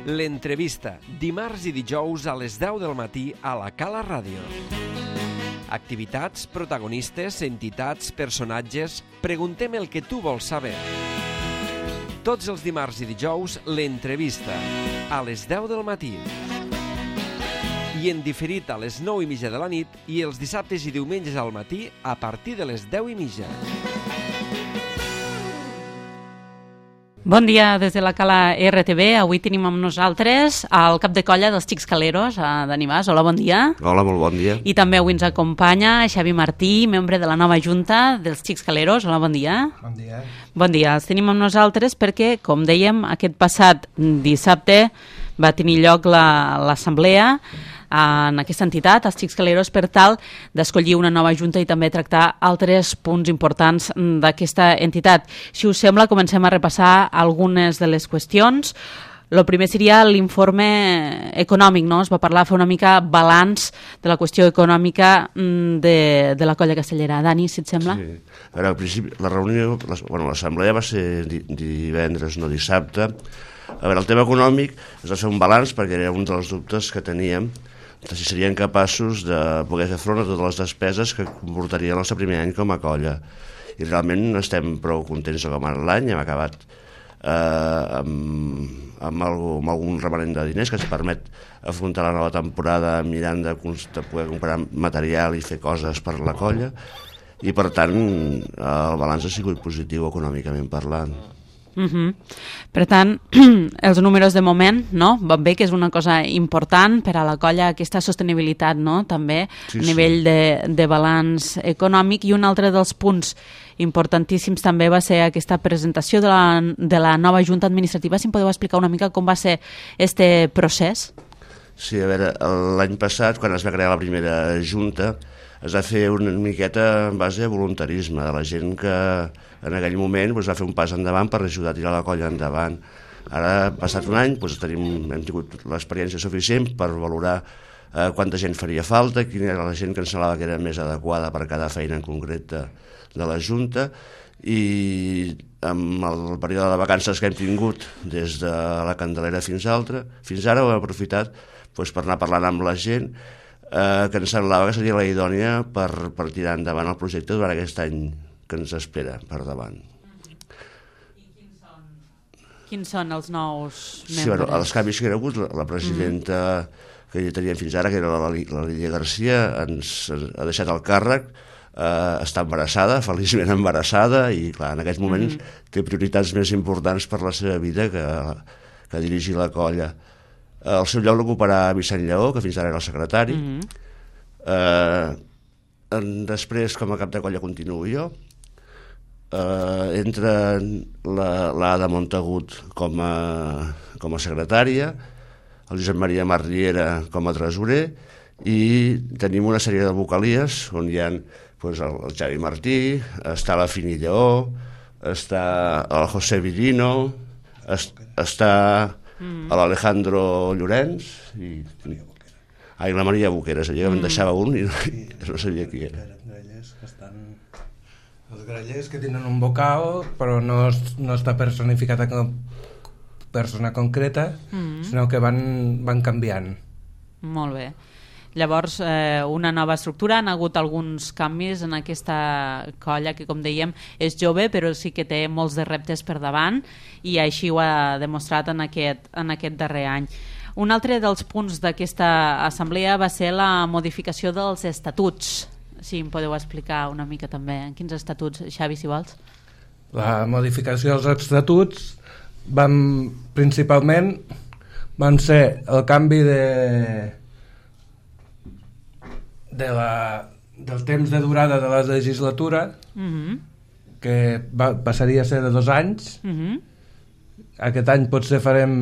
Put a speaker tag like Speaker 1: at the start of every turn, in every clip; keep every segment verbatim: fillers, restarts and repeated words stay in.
Speaker 1: L'entrevista, dimarts i dijous a les deu del matí a la Cala Ràdio. Activitats, protagonistes, entitats, personatges... Preguntem el que tu vols saber. Tots els dimarts i dijous, l'entrevista, a les deu del matí. I en diferit a les nou i mitja de la nit i els dissabtes i diumenges al matí a partir de les deu i mitja.
Speaker 2: Bon dia des de la Cala R T V. Avui tenim amb nosaltres el cap de colla dels Xics Caleros, Dani Mas. Hola, bon dia.
Speaker 3: Hola, molt bon dia.
Speaker 2: I també avui ens acompanya Xavi Martí, membre de la nova junta dels Xics Caleros. Hola, bon dia.
Speaker 4: Bon dia.
Speaker 2: Bon dia. Els tenim amb nosaltres perquè, com dèiem, aquest passat dissabte va tenir lloc l'assemblea en aquesta entitat, els Xics Caleros, per tal d'escollir una nova junta i també tractar altres punts importants d'aquesta entitat. Si us sembla, comencem a repassar algunes de les qüestions. El primer seria l'informe econòmic, no? Es va parlar, fer una mica balanç de la qüestió econòmica de, de la colla castellera. Dani, si et sembla?
Speaker 3: Sí. A veure, al principi, la reunió, la, bueno, l'assemblea va ser di, divendres, no dissabte. A veure, el tema econòmic es va fer un balanç perquè era un dels dubtes que teníem, de si serien capaços de poder fer front a totes les despeses que comportaria el nostre primer any com a colla. I realment estem prou contents de com ha anat l'any. Hem acabat eh, amb, amb, algo, amb algun remanent de diners que ens permet afrontar la nova temporada mirant de, de poder comprar material i fer coses per la colla, i per tant el balanç ha sigut positiu econòmicament parlant.
Speaker 2: Uh-huh. Per tant, els números de moment, no? Van bé, que és una cosa important per a la colla, aquesta sostenibilitat, no? També
Speaker 3: Sí,
Speaker 2: a nivell
Speaker 3: sí.
Speaker 2: de, de balanç econòmic. I un altre dels punts importantíssims també va ser aquesta presentació de la, de la nova junta administrativa. Si em podeu explicar una mica com va ser este procés?
Speaker 3: Sí, a veure, l'any passat, quan es va crear la primera junta, es va fer una miqueta en base a voluntarisme de la gent que en aquell moment doncs, va fer un pas endavant per ajudar a tirar la colla endavant. Ara, passat un any, doncs, tenim, hem tingut l'experiència suficient per valorar eh, quanta gent faria falta, quina era la gent que ens semblava que era més adequada per cada feina en concret de, de la Junta, i amb el període de vacances que hem tingut des de la Candelera fins, altra, fins ara ho hem aprofitat doncs, per anar parlant amb la gent eh, que ens semblava que seria la idònia per, per tirar endavant el projecte durant aquest any que ens espera per davant.
Speaker 2: I quins són, quins són els nous membres?
Speaker 3: Sí, bueno, els canvis que hi ha hagut, la, la presidenta mm. que ja teníem fins ara, que era la, la Lídia Garcia, ens ha deixat el càrrec, eh, està embarassada, feliçment embarassada, i clar, en aquests moments mm. té prioritats més importants per la seva vida que, que dirigir la colla. El seu lloc l'ocuparà Vicent Lleó, que fins ara era el secretari. Mm-hmm. Eh, després, com a cap de colla, continuo jo. Uh, entra l'Ada Montagut com a, com a secretària, el Josep Maria Marriera com a tresorer, i tenim una sèrie de vocalies on hi ha pues, el, el Xavi Martí, està la Fini Lleó, està el José Villino, es, està mm. l'Alejandro Llorenç i, ai, la Maria Boqueras, allà mm. em deixava un i no, i no sabia qui era.
Speaker 4: Els grallers que tenen un vocal, però no, no està personificada com persona concreta, mm-hmm. sinó que van, van canviant.
Speaker 2: Molt bé. Llavors, eh, una nova estructura, han hagut alguns canvis en aquesta colla que, com dèiem, és jove, però sí que té molts de reptes per davant, i així ho ha demostrat en aquest, en aquest darrer any. Un altre dels punts d'aquesta assemblea va ser la modificació dels estatuts. Si em podeu explicar una mica també en quins estatuts, Xavi, si vols.
Speaker 4: La modificació dels estatuts van, principalment van ser el canvi de, de la, del temps de durada de la legislatura, mm-hmm. que va, passaria a ser de dos anys. Mm-hmm. Aquest any potser farem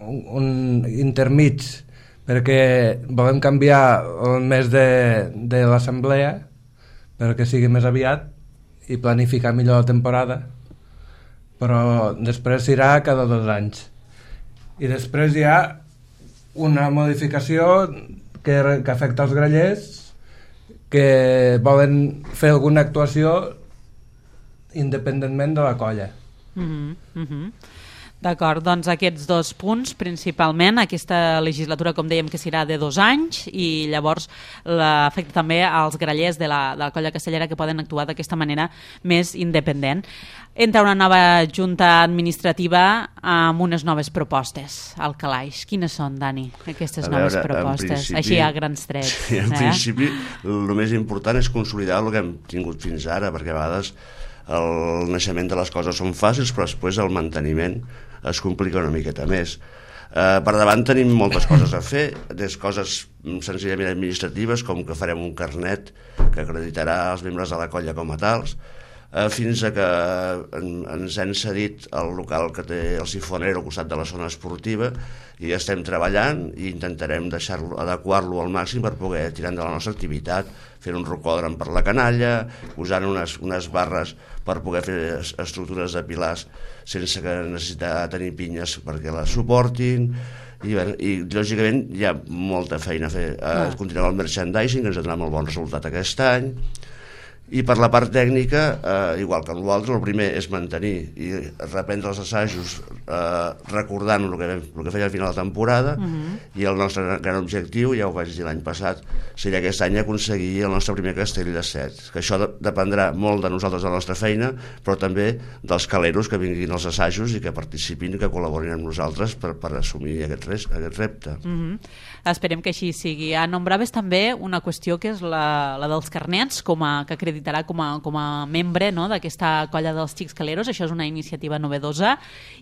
Speaker 4: un, un intermig, perquè volem canviar el mes de, de l'assemblea perquè sigui més aviat i planificar millor la temporada, però després s'irà cada dos anys. I després hi ha una modificació que, que afecta els grallers que volen fer alguna actuació independentment de la colla.
Speaker 2: Mm-hmm. D'acord, doncs aquests dos punts principalment, aquesta legislatura com dèiem que serà de dos anys i llavors l'afecta també als grallers de la, de la colla castellera que poden actuar d'aquesta manera més independent. Entra una nova junta administrativa amb unes noves propostes al calaix. Quines són, Dani, aquestes
Speaker 3: a veure,
Speaker 2: noves propostes? Així a grans trets.
Speaker 3: Sí, en eh? principi el més important és consolidar el que hem tingut fins ara, perquè a vegades el naixement de les coses són fàcils, però després el manteniment es complica una miqueta més. Eh, per davant tenim moltes coses a fer, des coses senzillament administratives, com que farem un carnet que acreditarà els membres de la colla com a tals, eh, fins a que en, ens hem cedit el local que té el Sifonero al costat de la zona esportiva i estem treballant i intentarem deixar-lo, adequar-lo al màxim per poder tirar endavant la nostra activitat, fent un rocòdrom per la canalla, usant unes, unes barres per poder fer estructures de pilars sense que necessitar tenir pinyes perquè les suportin, i, bé, i lògicament hi ha molta feina a fer. Ah. Continuem el merchandising, que ens ha donat molt bon resultat aquest any, i per la part tècnica, eh, igual que amb l'altre, el primer és mantenir i reprendre els assajos eh, recordant el que, el que feia al final de temporada, uh-huh. i el nostre gran objectiu, ja ho vaig dir l'any passat, seria aquest any aconseguir el nostre primer castell de set, que això de, dependrà molt de nosaltres, de la nostra feina, però també dels caleros que vinguin als assajos i que participin i que col·laborin amb nosaltres per, per assumir aquest, res, aquest repte.
Speaker 2: Uh-huh. Esperem que així sigui. Nombraves també una qüestió que és la, la dels carnets, com a, que acreditarà com a, com a membre, no?, d'aquesta colla dels Xics Caleros. Això és una iniciativa novedosa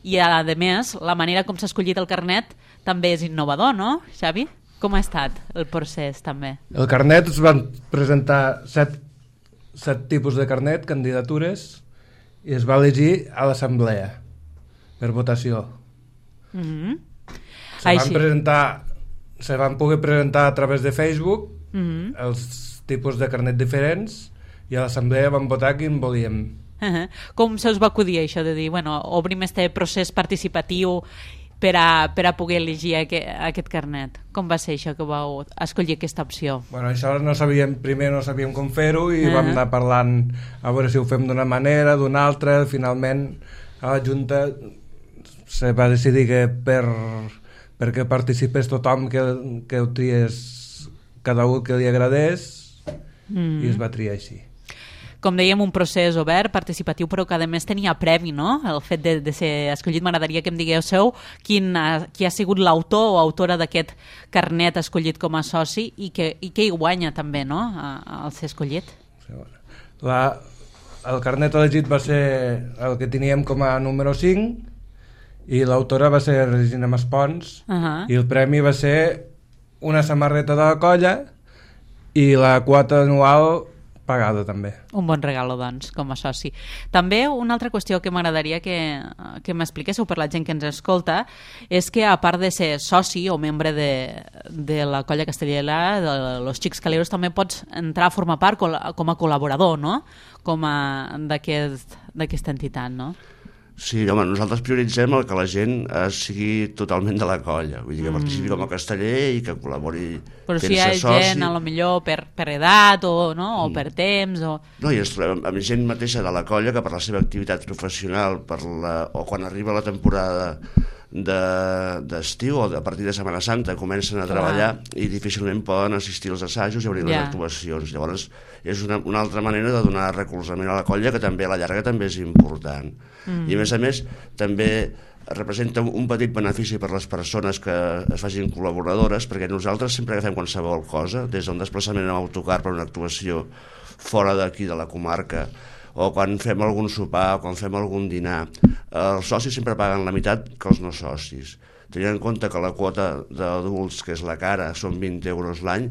Speaker 2: i, a més, la manera com s'ha escollit el carnet també és innovador, no, Xavi? Com ha estat el procés, també?
Speaker 4: El carnet es van presentar set, set tipus de carnet, candidatures, i es va elegir a l'assemblea per votació.
Speaker 2: Mm-hmm.
Speaker 4: Se van
Speaker 2: Així.
Speaker 4: presentar... se van poder presentar a través de Facebook,
Speaker 2: mm-hmm.
Speaker 4: els tipus de carnet diferents, i a l'assemblea vam votar quin volíem.
Speaker 2: Uh-huh. Com se us va acudir això de dir, bueno, obrim este procés participatiu per a, per a poder elegir aquest, aquest carnet? Com va ser això que vau escollir aquesta opció?
Speaker 4: Bueno, això no sabíem, primer no sabíem com fer-ho i
Speaker 2: uh-huh.
Speaker 4: vam anar parlant a veure si ho fem d'una manera, d'una altra. Finalment a la Junta se va decidir que per perquè participés tothom, que, que ho tries cada un que li agradés, mm. i es va triar així.
Speaker 2: Com dèiem, un procés obert, participatiu, però que a més tenia previ, no?, el fet de, de ser escollit. M'agradaria que em diguéssiu quin ha, qui ha sigut l'autor o autora d'aquest carnet escollit com a soci i que, i que hi guanya també, no?, al ser escollit.
Speaker 4: La, el carnet elegit va ser el que teníem com a número cinc, i l'autora va ser Regina Maspons, uh-huh. i el premi va ser una samarreta de la colla i la quota anual pagada també.
Speaker 2: Un bon regalo, doncs, com a soci. També una altra qüestió que m'agradaria que, que m'expliquéssiu per la gent que ens escolta és que, a part de ser soci o membre de, de la colla castellera, de los Xics Caleros, també pots entrar a formar part com a col·laborador, no?, com a d'aquest, d'aquesta entitat, no?
Speaker 3: Sí, home, nosaltres prioritzem el que la gent eh, sigui totalment de la colla, vull dir que participi mm. com a casteller i que col·labori fent-se soci.
Speaker 2: Però si hi ha soci. Gent, a lo millor per, per edat o, no? o per temps o...
Speaker 3: No, i ens trobem amb gent mateixa de la colla que per la seva activitat professional per la, o quan arriba la temporada d'estiu de, o a partir de Setmana Santa comencen a treballar ah. i difícilment poden assistir als assajos i obrir yeah. les actuacions. Llavors és una, una altra manera de donar recolzament a la colla, que també a la llarga també és important. Mm. I a més a més també representa un petit benefici per les persones que es facin col·laboradores, perquè nosaltres sempre agafem qualsevol cosa, des d'un desplaçament en autocar per una actuació fora d'aquí de la comarca, o quan fem algun sopar, o quan fem algun dinar, els socis sempre paguen la meitat que els no socis. Tenint en compte que la quota d'adults, que és la cara, són vint euros l'any,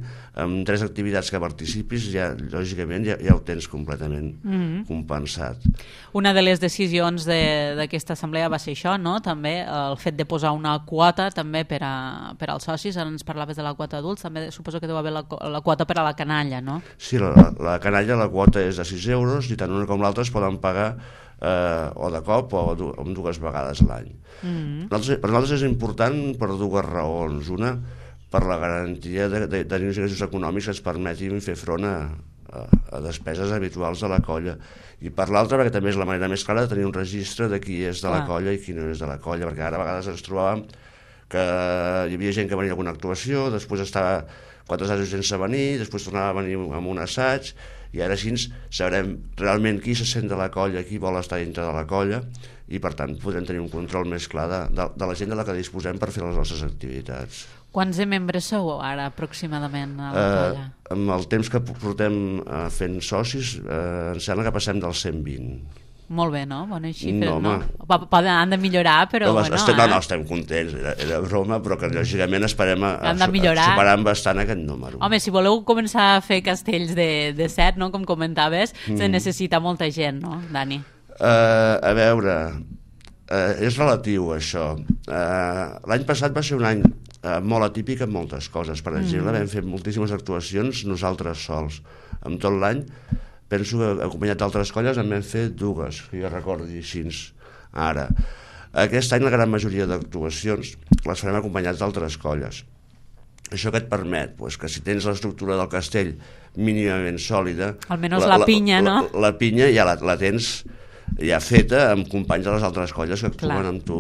Speaker 3: amb tres activitats que participis, ja, lògicament ja, ja ho tens completament mm-hmm. compensat.
Speaker 2: Una de les decisions d'aquesta assemblea va ser això, no?, també el fet de posar una quota també per, a, per als socis. Ara ens parlaves de la quota adults, també suposo que deu haver la, la quota per a la canalla, no?
Speaker 3: Sí, la, la canalla, la quota és de sis euros i tant una com l'altra es poden pagar Eh, o de cop o du o dues vegades l'any. Mm-hmm. Per nosaltres és important per dues raons. Una, per la garantia de, de, de tenir uns ingressos econòmics que ens permetin fer front a, a, a despeses habituals de la colla. I per l'altra, perquè també és la manera més clara de tenir un registre de qui és de la colla i qui no és de la colla, perquè ara a vegades ens trobàvem que hi havia gent que venia a alguna actuació, després estava quatre assajos sense venir, després tornava a venir amb un assaig, i ara així sabrem realment qui se sent de la colla, qui vol estar dintre de la colla, i per tant podrem tenir un control més clar de, de, de la gent de la que disposem per fer les nostres activitats.
Speaker 2: Quants de membres sou ara aproximadament a la
Speaker 3: eh,
Speaker 2: colla?
Speaker 3: Amb el temps que portem eh, fent socis, eh, em sembla que passem dels cent vint.
Speaker 2: Molt bé, no? Bones xifres,
Speaker 3: no?
Speaker 2: no? Poden, han de millorar, però
Speaker 3: no,
Speaker 2: bueno...
Speaker 3: Estem,
Speaker 2: eh?
Speaker 3: no, no, estem contents, era, era broma, però que lògicament esperem a, a, a superar bastant aquest número.
Speaker 2: Home, si voleu començar a fer castells de, de set, no? Com comentaves, mm. se necessita molta gent, no, Dani?
Speaker 3: Uh, a veure, uh, és relatiu això. Uh, L'any passat va ser un any uh, molt atípic en moltes coses. Per exemple, mm. vam fer moltíssimes actuacions nosaltres sols. En tot l'any, penso que acompanyat d'altres colles en vam fer dues, que jo recordi així ara. Aquest any la gran majoria d'actuacions les farem acompanyats d'altres colles. Això que et permet, pues, que si tens l'estructura del castell mínimament sòlida...
Speaker 2: Almenys la, la pinya,
Speaker 3: la,
Speaker 2: no?
Speaker 3: La, la pinya ja la, la tens ja feta amb companys de les altres colles que actuen clar. Amb tu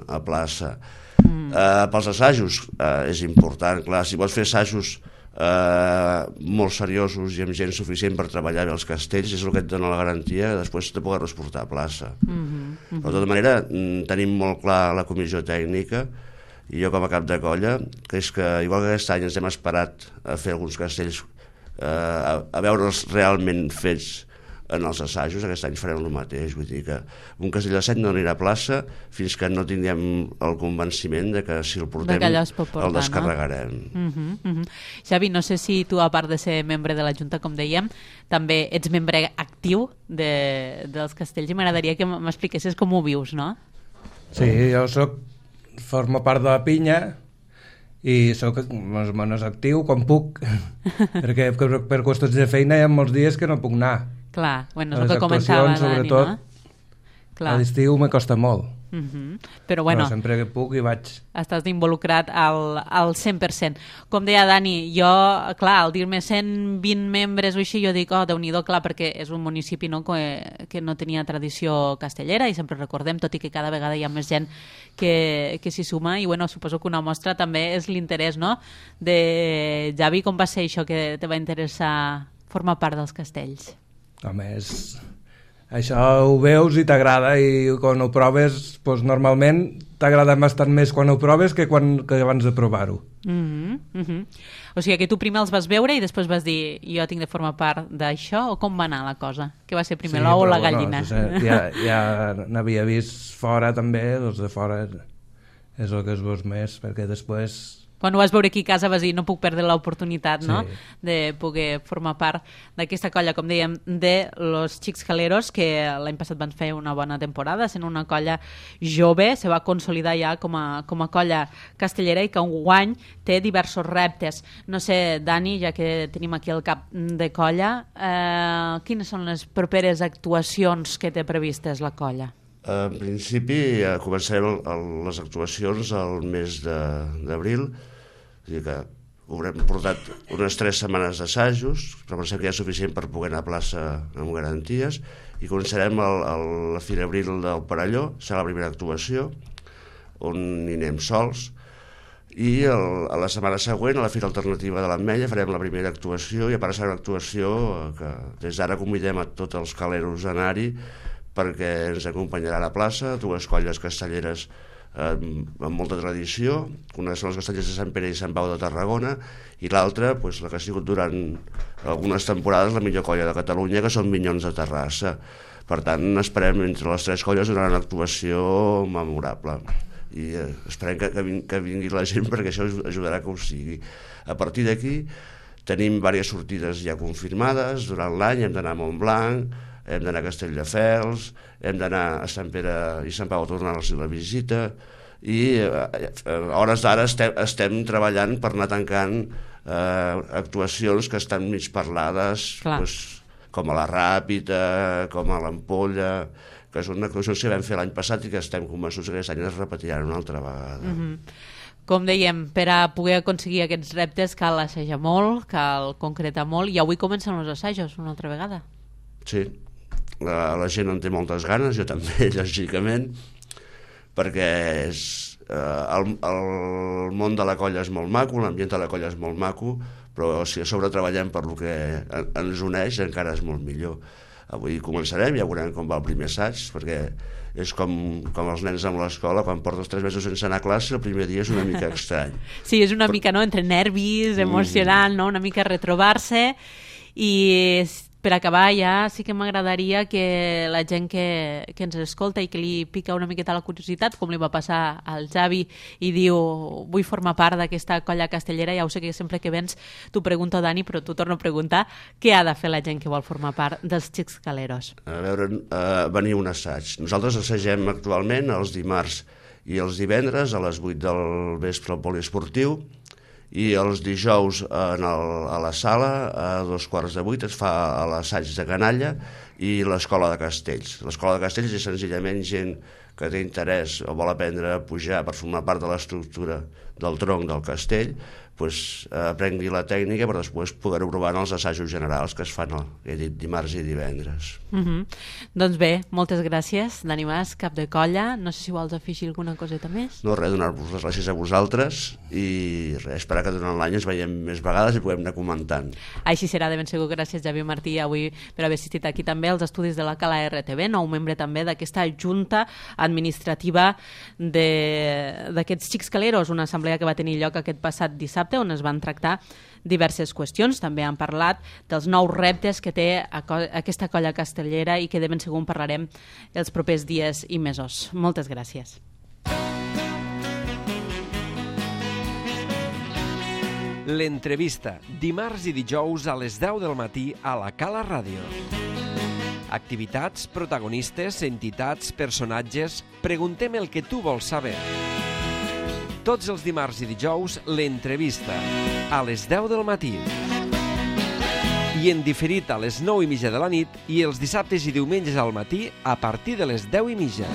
Speaker 3: a plaça. Mm. Uh, pels assajos uh, és important, clar, si vols fer assajos Uh, molt seriosos i amb gent suficient per treballar bé els castells, és el que et dona la garantia que després te pogues portar a plaça. Mm-hmm, mm-hmm. Però de tota manera tenim molt clar la comissió tècnica i jo com a cap de colla, que és que igual que aquest any ens hem esperat a fer alguns castells uh, a, a veure'ls realment fets en els assajos, aquest any farem el mateix, vull dir que un castell de set no anirà a plaça fins que no tinguem el convenciment de que si el portem portar, el descarregarem. No?
Speaker 2: Uh-huh, uh-huh. Xavi, no sé si tu, a part de ser membre de la Junta, com dèiem, també ets membre actiu de, dels castells i m'agradaria que m'expliquessis com ho vius, no?
Speaker 4: Sí, jo soc, formo part de la pinya i soc més o menys actiu quan puc, perquè per, per qüestions de feina hi ha molts dies que no puc anar.
Speaker 2: Clar, bueno, és el que comentava Dani, no?
Speaker 4: Clar. A l'estiu me costa molt.
Speaker 2: Uh-huh. Però bueno,
Speaker 4: però sempre que puc hi vaig.
Speaker 2: Estàs involucrat al, al cent per cent. Com deia Dani, jo, clar, al dir-me cent vint membres o així, jo dic, oh, Déu-n'hi-do, clar, perquè és un municipi, no, que, que no tenia tradició castellera i sempre recordem, tot i que cada vegada hi ha més gent que, que s'hi suma i bueno, suposo que una mostra també és l'interès, no? De Javi, com va ser això que te va interessar formar part dels castells?
Speaker 4: Home, és... això ho veus i t'agrada i quan ho proves, doncs normalment t'agrada bastant més quan ho proves que, quan, que abans de provar-ho.
Speaker 2: Mm-hmm, mm-hmm. O sigui que tu primer els vas veure i després vas dir jo tinc de formar part d'això, o com va anar la cosa? Què va ser primer, sí, l'ou o la gallina?
Speaker 4: Bueno, ja ja n'havia vist fora també, doncs de fora és el que es veus més, perquè després...
Speaker 2: Quan ho vas veure aquí a casa vas dir no puc perdre l'oportunitat, no? Sí. De poder formar part d'aquesta colla, com dèiem, de los Xics Caleros, que l'any passat van fer una bona temporada, sent una colla jove, se va consolidar ja com a, com a colla castellera i que enguany té diversos reptes. No sé, Dani, ja que tenim aquí el cap de colla, eh, quines són les properes actuacions que té previstes la colla?
Speaker 3: En principi ja començarem el, el, les actuacions al mes d'abril. És a dir que haurem portat unes tres setmanes d'assajos, però pensem que ja és suficient per poder anar a plaça amb garanties, i començarem el, el, la Fira Abril del Perelló, serà la primera actuació, on hi anem sols, i el, a la setmana següent, a la Fira Alternativa de l'Ametlla, farem la primera actuació, i a part serà una actuació que des d'ara convidem a tots els caleros a anar-hi, perquè ens acompanyarà a la plaça, dues colles castelleres eh, amb molta tradició, una són les castellers de Sant Pere i Sant Pau de Tarragona i l'altra, pues, la que ha sigut durant algunes temporades la millor colla de Catalunya, que són Minyons de Terrassa. Per tant, esperem entre les tres colles donar una actuació memorable i eh, esperem que, que, vingui, que vingui la gent, perquè això ajudarà que ho sigui. A partir d'aquí tenim diverses sortides ja confirmades durant l'any, hem d'anar a Montblanc, hem d'anar a Castelldefels, hem d'anar a Sant Pere i Sant Pau a tornar-los la visita, i a hores d'ara estem, estem treballant per anar tancant eh, actuacions que estan mig parlades, pues, com a la Ràpita, com a l'Ampolla, que és una actuació que vam fer l'any passat i que estem convençuts que aquest any es repetiran una altra vegada.
Speaker 2: Mm-hmm. Com dèiem, per a poder aconseguir aquests reptes cal assajar molt, cal concretar molt, i avui comencen els assajos una altra vegada.
Speaker 3: Sí, la, la gent en té moltes ganes, jo també, lògicament, perquè és, eh, el, el món de la colla és molt maco, l'ambient de la colla és molt maco, però si a sobre treballem per lo que ens uneix encara és molt millor. Avui començarem, ja veurem com va el primer assaig, perquè és com, com els nens amb l'escola, quan portes tres mesos sense anar a classe, el primer dia és una mica estrany.
Speaker 2: Sí, és una Però... mica, no?, entre nervis, emocionant, no?, una mica retrobar-se, i per acabar ja sí que m'agradaria que la gent que, que ens escolta i que li pica una miqueta la curiositat, com li va passar al Xavi i diu vull formar part d'aquesta colla castellera, ja ho sé que sempre que vens t'ho pregunto, Dani, però t'ho torno a preguntar, què ha de fer la gent que vol formar part dels Xics Caleros?
Speaker 3: A veure, uh, venir un assaig. Nosaltres assagem actualment els dimarts i els divendres a les vuit del vespre al poliesportiu, i els dijous en el, a la sala a dos quarts de vuit es fa l'assaig de canalla i l'escola de castells. L'escola de castells és senzillament gent que té interès o vol aprendre a pujar per formar part de l'estructura del tronc del castell, pues, eh, aprengui la tècnica per després poder-ho provar en els assajos generals que es fan el, he dit, dimarts i divendres.
Speaker 2: Mm-hmm. Doncs bé, moltes gràcies, Dani Mas, cap de colla. No sé si vols afegir alguna coseta més.
Speaker 3: No, res, donar-vos les gràcies a vosaltres i res, esperar que durant l'any ens veiem més vegades i puguem anar comentant.
Speaker 2: Així serà, de ben segur. Gràcies, Javi Martí, avui per haver assistit aquí també als estudis de la Cala R T V, nou membre també d'aquesta junta administrativa d'aquests Xics Caleros, una assemblea que va tenir lloc aquest passat dissabte, on es van tractar diverses qüestions. També han parlat dels nous reptes que té aquesta colla castellera i que de ben segur en parlarem els propers dies i mesos. Moltes gràcies.
Speaker 1: L'entrevista, dimarts i dijous a les deu del matí a la Cala Ràdio. Activitats, protagonistes, entitats, personatges... Preguntem el que tu vols saber. Tots els dimarts i dijous, l'entrevista, a les deu del matí. I en diferit a les nou i mitja de la nit i els dissabtes i diumenges al matí a partir de les deu i mitja.